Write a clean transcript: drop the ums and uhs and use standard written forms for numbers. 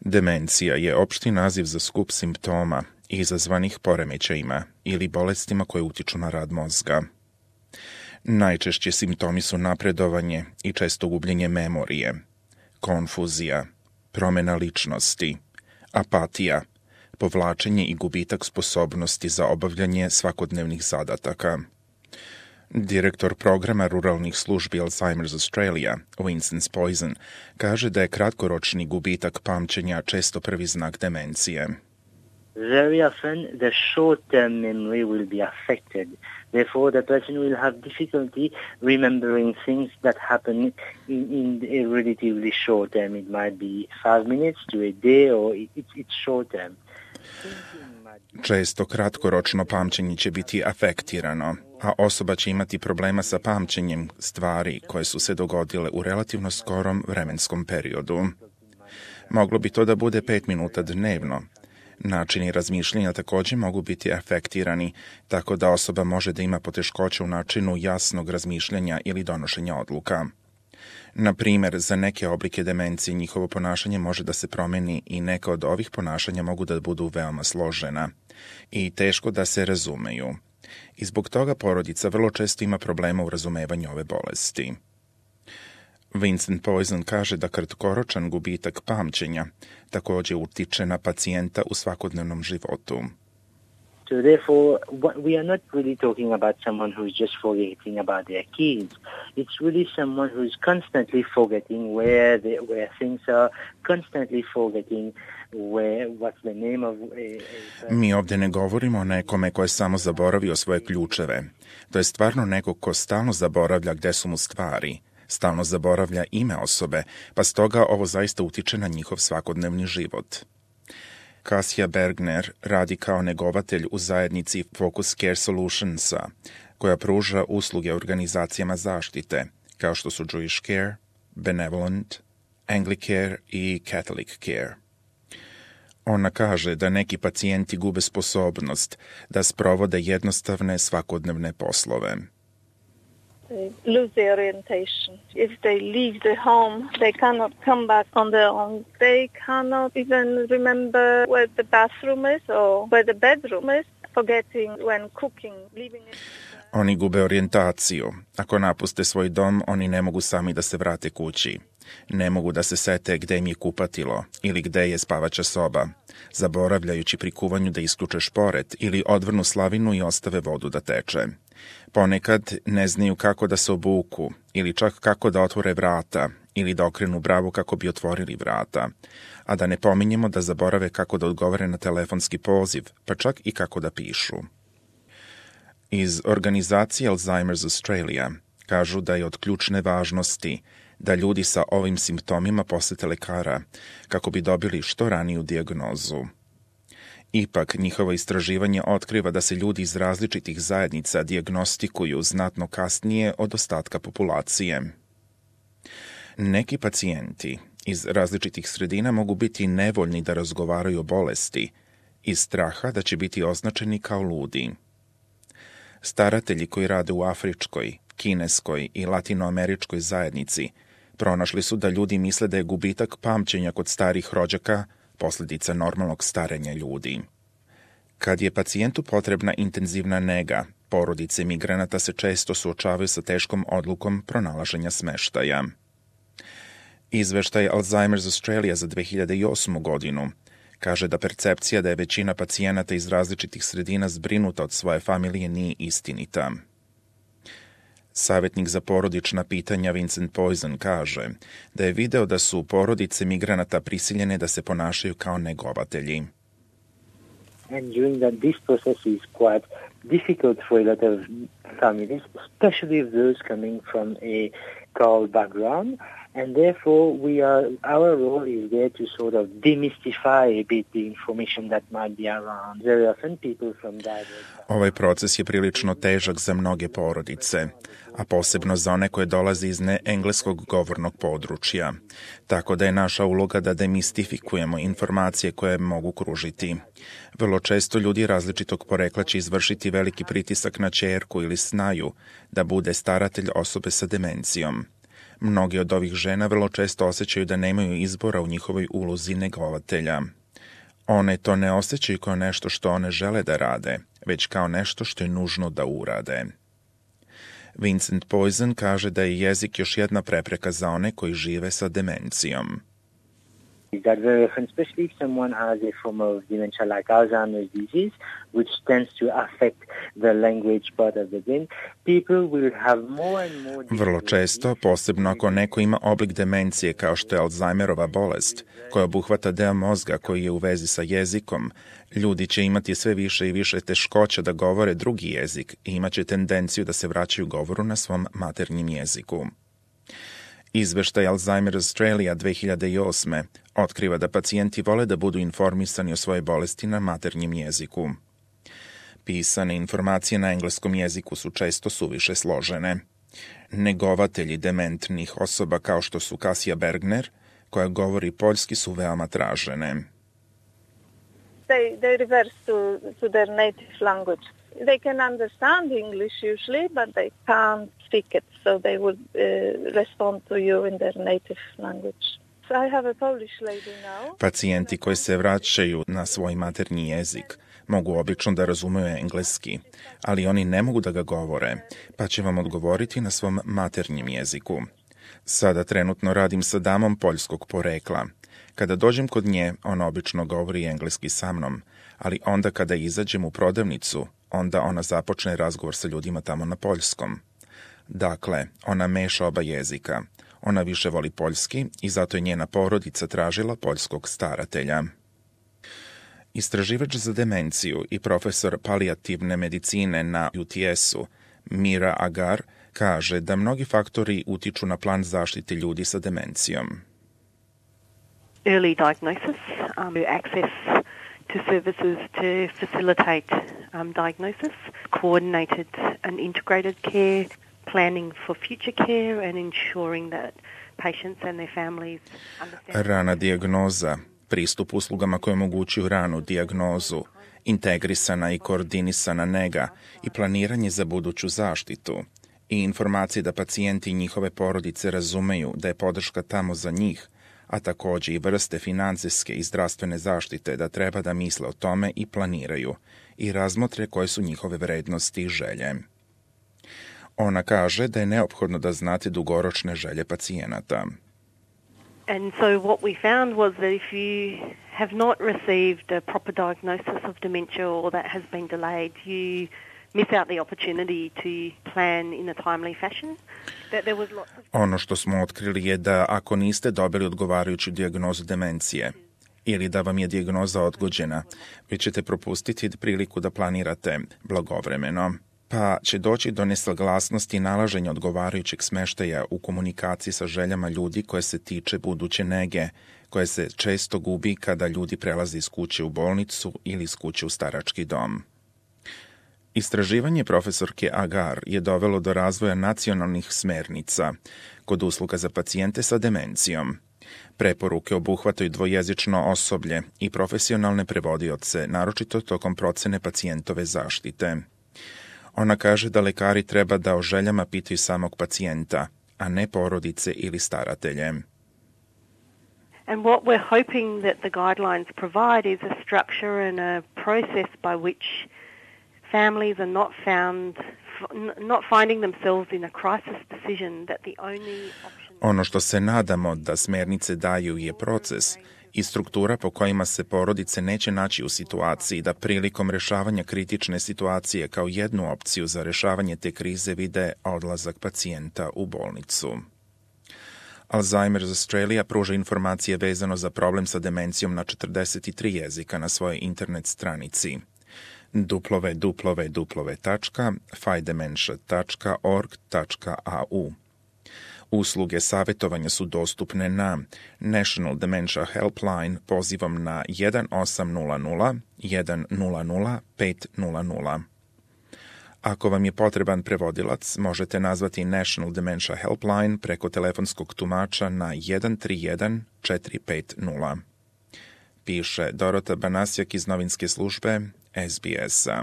Demencija je opšti naziv za skup simptoma izazvanih poremećajima ili bolestima koje utiču na rad mozga. Najčešći simptomi su napredovanje i često gubljenje memorije, konfuzija, promjena ličnosti, apatija, povlačenje i gubitak sposobnosti za obavljanje svakodnevnih zadataka. Direktor programa ruralnih službi Alzheimer's Australia, Winston Poison, kaže da je kratkoročni gubitak pamćenja često prvi znak demencije. Very often the short-term memory will be affected. Therefore, the person will have difficulty remembering things that happen in a relatively short term. It might be 5 minutes to a day or it's short term. Često kratkoročno pamćenje će biti afektirano, a osoba će imati problema sa pamćenjem stvari koje su se dogodile u relativno skorom vremenskom periodu. Moglo bi to da bude 5 minuta dnevno. Načini razmišljanja također mogu biti afektirani, tako da osoba može da ima poteškoće u načinu jasnog razmišljanja ili donošenja odluka. Na primjer, za neke oblike demencije njihovo ponašanje može da se promeni i neka od ovih ponašanja mogu da budu veoma složena i teško da se razumeju. I zbog toga porodica vrlo često ima problema u razumevanju ove bolesti. Winston Poison kaže da kratkoročan gubitak pamćenja također utiče na pacijenta u svakodnevnom životu. So therefore, we are not really talking about someone who's just forgetting about their kids. It's really someone who's constantly forgetting where things are, constantly forgetting what's the name of Mi ovdje ne govorimo o nekome ko je samo zaboravio svoje ključeve. To je stvarno neko ko stalno zaboravlja gde su mu stvari, stalno zaboravlja ime osobe, pa stoga ovo zaista utiče na njihov svakodnevni život. Kasia Bergner radi kao negovatelj u zajednici Focus Care Solutionsa, koja pruža usluge organizacijama zaštite, kao što su Jewish Care, Benevolent, Anglicare i Catholic Care. Ona kaže da neki pacijenti gube sposobnost da sprovode jednostavne svakodnevne poslove. They lose their orientation. If they leave the home, they cannot come back on their own. They cannot even remember where the bathroom is or where the bedroom is, forgetting when cooking, leaving it. Oni gube orijentaciju. Ako napuste svoj dom, oni ne mogu sami da se vrate kući. Ne mogu da se sete gde im je kupatilo ili gde je spavača soba, zaboravljajući pri kuvanju da isključe šporet ili odvrnu slavinu i ostave vodu da teče. Ponekad ne znaju kako da se obuku ili čak kako da otvore vrata ili da okrenu bravu kako bi otvorili vrata, a da ne pominjemo da zaborave kako da odgovore na telefonski poziv, pa čak i kako da pišu. Iz organizacije Alzheimer's Australia kažu da je od ključne važnosti da ljudi sa ovim simptomima posete lekara kako bi dobili što raniju dijagnozu. Ipak, njihovo istraživanje otkriva da se ljudi iz različitih zajednica dijagnostikuju znatno kasnije od ostatka populacije. Neki pacijenti iz različitih sredina mogu biti nevoljni da razgovaraju o bolesti iz straha da će biti označeni kao ludi. Staratelji koji rade u afričkoj, kineskoj i latinoameričkoj zajednici pronašli su da ljudi misle da je gubitak pamćenja kod starih rođaka posljedica normalnog starenja ljudi. Kad je pacijentu potrebna intenzivna nega, porodice migranata se često suočavaju sa teškom odlukom pronalaženja smeštaja. Izveštaj Alzheimer's Australia za 2008. godinu kaže da percepcija da je većina pacijenata iz različitih sredina zbrinuta od svoje familije nije istinita. Savjetnik za porodična pitanja Winston Poison kaže da je video da su porodice migranata prisiljene da se ponašaju kao negovatelji. And during that, this process is quite difficult for a lot of families, especially those coming from a Catholic background. And therefore, our role is there to sort of demystify a bit the information that might be around. Very often people from diverse... Ovaj proces je prilično težak za mnoge porodice, a posebno za one koje dolaze iz neengleskog govornog područja. Tako da je naša uloga da demistifikujemo informacije koje mogu kružiti. Vrlo često ljudi različitog porekla će izvršiti veliki pritisak na ćerku ili snaju da bude staratelj osobe sa demencijom. Mnogi od ovih žena vrlo često osjećaju da nemaju izbora u njihovoj ulozi negovatelja. One to ne osjećaju kao nešto što one žele da rade, već kao nešto što je nužno da urade. Vincent Poison kaže da je jezik još jedna prepreka za one koji žive sa demencijom. That very often, especially if someone has a form of dementia like Alzheimer's disease, which tends to affect the language part of the brain, people will have more and more... Vrlo često, posebno ako neko ima oblik demencije kao što je Alzheimerova bolest, koja obuhvata deo mozga koji je u vezi sa jezikom, ljudi će imati sve više i više teškoća da govore drugi jezik i imaće tendenciju da se vraćaju govoru na svom maternjem jeziku. Izveštaj Alzheimer's Australia 2008. otkriva da pacijenti vole da budu informisani o svojoj bolesti na maternjem jeziku. Pisane informacije na engleskom jeziku su često suviše složene. Negovatelji dementnih osoba kao što su Kasia Bergner, koja govori poljski, su veoma tražene. They reverse to their native language. They can understand English usually, but they can't speak it, so they would respond to you in their native language. So I have a Polish lady now. Pacijenti koji se vraćaju na svoj maternji jezik mogu obično da razumeju engleski, ali oni ne mogu da ga govore, pa će vam odgovoriti na svom maternjem jeziku. Sada trenutno radim sa damom poljskog porekla. Kada dođem kod nje, ona obično govori engleski sa mnom, ali onda kada izađem u prodavnicu, onda ona započne razgovor sa ljudima tamo na poljskom. Dakle, ona meša oba jezika. Ona više voli poljski i zato je njena porodica tražila poljskog staratelja. Istraživač za demenciju i profesor palijativne medicine na UTS-u, Mira Agar, kaže da mnogi faktori utiču na plan zaštite ljudi sa demencijom. Early diagnosis, access to services to facilitate diagnosis, coordinated and integrated care, planning for future care and ensuring that patients and their families understand. Rana dijagnoza, pristup uslugama koje omogućuju ranu dijagnozu, integrisana i koordinisana nega i planiranje za buduću zaštitu i informacije da pacijenti i njihove porodice razumeju da je podrška tamo za njih, a također i vrste financijske i zdravstvene zaštite da treba da misle o tome i planiraju i razmotre koje su njihove vrednosti i želje. Ona kaže da je neophodno da znate dugoročne želje pacijenata. And so what we found was that if you have not received a proper diagnosis of dementia or that has been delayed, you miss out the opportunity to plan in a timely fashion. That there was lots of... Ono što smo otkrili je da ako niste dobili odgovarajuću dijagnozu demencije ili da vam je dijagnoza odgođena, vi ćete propustiti priliku da planirate blagovremeno, pa će doći do nesaglasnosti i nalaženja odgovarajućeg smeštaja u komunikaciji sa željama ljudi koje se tiče buduće nege, koje se često gubi kada ljudi prelaze iz kuće u bolnicu ili iz kuće u starački dom. Istraživanje profesorke Agar je dovelo do razvoja nacionalnih smernica kod usluga za pacijente sa demencijom. Preporuke obuhvataju dvojezično osoblje i profesionalne prevodioce, naročito tokom procene pacijentove zaštite. Ona kaže da lekari treba da o željama pitaju samog pacijenta, a ne porodice ili staratelje. And what we're hoping that the guidelines provide is a structure and a process by which families are not finding themselves in a crisis decision that the only option... Ono što se nadamo da smjernice daju je proces i struktura po kojima se porodice neće naći u situaciji da prilikom rješavanja kritične situacije kao jednu opciju za rješavanje te krize vide odlazak pacijenta u bolnicu. Alzheimer's Australia pruža informacije vezano za problem sa demencijom na 43 jezika na svojoj internet stranici www.fidementia.org.au. Usluge savjetovanja su dostupne na National Dementia Helpline pozivom na 1800 100 500. Ako vam je potreban prevodilac, možete nazvati National Dementia Helpline preko telefonskog tumača na 131 450. Piše Dorota Banasjak iz novinske službe SBS-a.